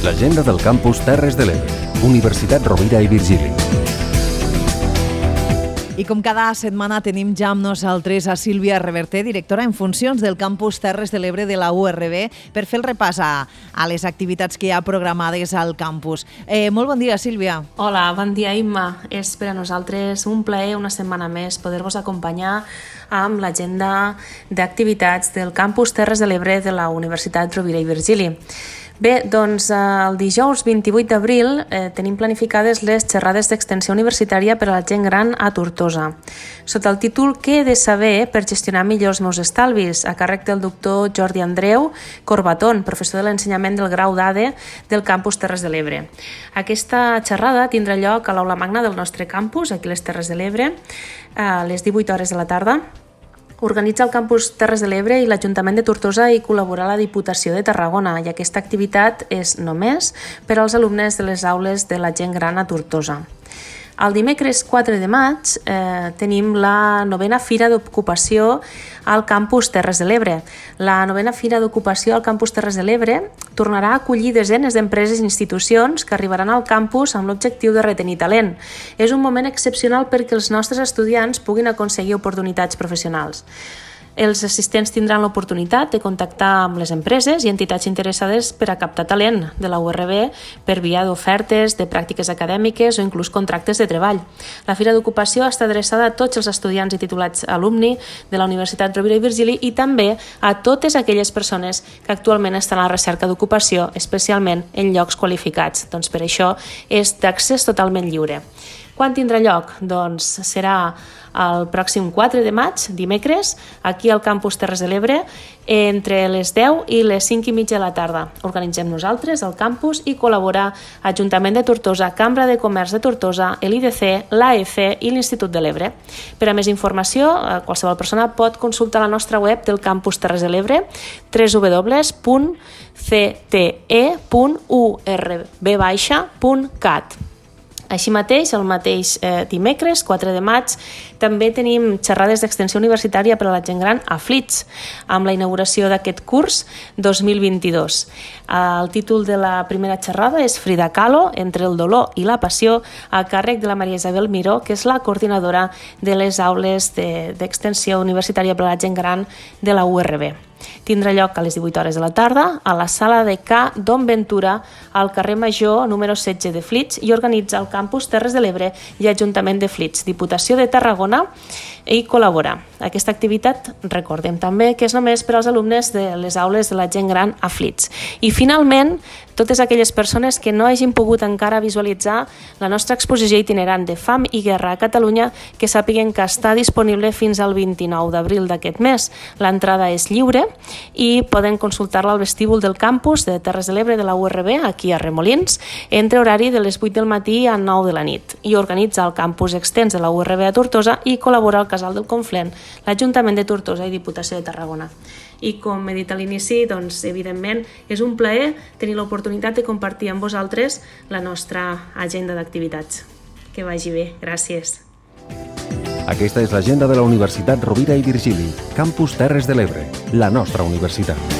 L'agenda del campus Terres de l'Ebre, Universitat Rovira i Virgili. I com cada setmana tenim ja amb nosaltres a Sílvia Reverter, directora en funcions del campus Terres de l'Ebre de la URB, per fer el repàs a les activitats que hi ha programades al campus. Molt bon dia, Sílvia. Hola, bon dia, Imma. És per a nosaltres un plaer una setmana més poder-vos acompanyar amb l'agenda d'activitats del campus Terres de l'Ebre de la Universitat Rovira i Virgili. Bé, doncs el dijous 28 d'abril tenim planificades les xerrades d'extensió universitària per a la gent gran a Tortosa. Sota el títol Què he de saber per gestionar millor els meus estalvis? A càrrec del doctor Jordi Andreu Corbatón, professor de l'ensenyament del grau d'ADE del campus Terres de l'Ebre. Aquesta xerrada tindrà lloc a l'aula magna del nostre campus, aquí a les Terres de l'Ebre, a les 18 hores de la tarda. Organitza el campus Terres de l'Ebre i l'Ajuntament de Tortosa i col·labora la Diputació de Tarragona, i aquesta activitat és només per als alumnes de les aules de la gent gran a Tortosa. El dimecres 4 de maig tenim la 9a Fira d'Ocupació al campus Terres de l'Ebre. La 9a Fira d'Ocupació al campus Terres de l'Ebre tornarà a acollir desenes d'empreses i institucions que arribaran al campus amb l'objectiu de retenir talent. És un moment excepcional perquè els nostres estudiants puguin aconseguir oportunitats professionals. Els assistents tindran l'oportunitat de contactar amb les empreses i entitats interessades per a captar talent de la URB per via d'ofertes, de pràctiques acadèmiques o inclús contractes de treball. La Fira d'Ocupació està adreçada a tots els estudiants i titulats alumni de la Universitat Rovira i Virgili i també a totes aquelles persones que actualment estan a la recerca d'ocupació, especialment en llocs qualificats. Doncs per això és d'accés totalment lliure. Quan tindrà lloc? Doncs serà el pròxim 4 de maig, dimecres, aquí al campus Terres de l'Ebre, entre les 10 i les 5 i mitja de la tarda. Organitzem nosaltres el campus i col·labora Ajuntament de Tortosa, Cambra de Comerç de Tortosa, l'IDC, l'AEC i l'Institut de l'Ebre. Per a més informació, qualsevol persona pot consultar la nostra web del campus Terres de l'Ebre, www.cte.urb.cat. Així mateix, el mateix dimecres, 4 de maig, també tenim xerrades d'extensió universitària per a la gent gran a Flix, amb la inauguració d'aquest curs 2022. El títol de la primera xerrada és Frida Kahlo, entre el dolor i la passió, a càrrec de la Maria Isabel Miró, que és la coordinadora de les aules d'extensió universitària per a la gent gran de la URB. Tindrà lloc a les 18 hores de la tarda a la sala de Ca Don Ventura al carrer Major número 16 de Flix i organitza el campus Terres de l'Ebre i Ajuntament de Flix, Diputació de Tarragona i col·labora. Aquesta activitat, recordem també que és només per als alumnes de les aules de la gent gran a Flix. I finalment, totes aquelles persones que no hagin pogut encara visualitzar la nostra exposició itinerant de Fam i Guerra a Catalunya, que sàpiguen que està disponible fins al 29 d'abril d'aquest mes. L'entrada és lliure i poden consultar-la al vestíbul del campus de Terres de l'Ebre de la URB, aquí a Remolins, entre horari de les 8 del matí a 9 de la nit. I organitza el campus extens de la URB a Tortosa i col·labora al Casal del Conflent, l'Ajuntament de Tortosa i Diputació de Tarragona. I com he dit a l'inici, doncs, evidentment, és un plaer tenir l'oportunitat de compartir amb vosaltres la nostra agenda d'activitats. Que vagi bé. Gràcies. Aquesta és l'agenda de la Universitat Rovira i Virgili, campus Terres de l'Ebre, la nostra universitat.